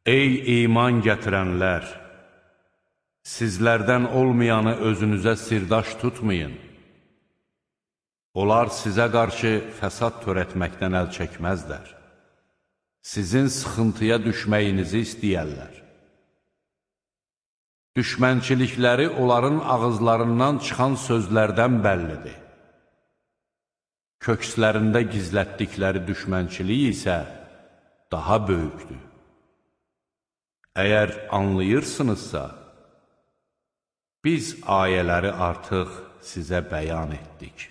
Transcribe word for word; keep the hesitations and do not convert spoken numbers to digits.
Ey iman gətirənlər! Sizlərdən olmayanı özünüzə sirdaş tutmayın. Onlar sizə qarşı fəsad törətməkdən əl çəkməzlər. Sizin sıxıntıya düşməyinizi istəyərlər. Düşmənçilikləri onların ağızlarından çıxan sözlərdən bəllidir. Kökslərində gizlətdikləri düşmənçilik isə daha böyükdür. Əgər anlayırsınızsa, biz ayələri artıq sizə bəyan etdik.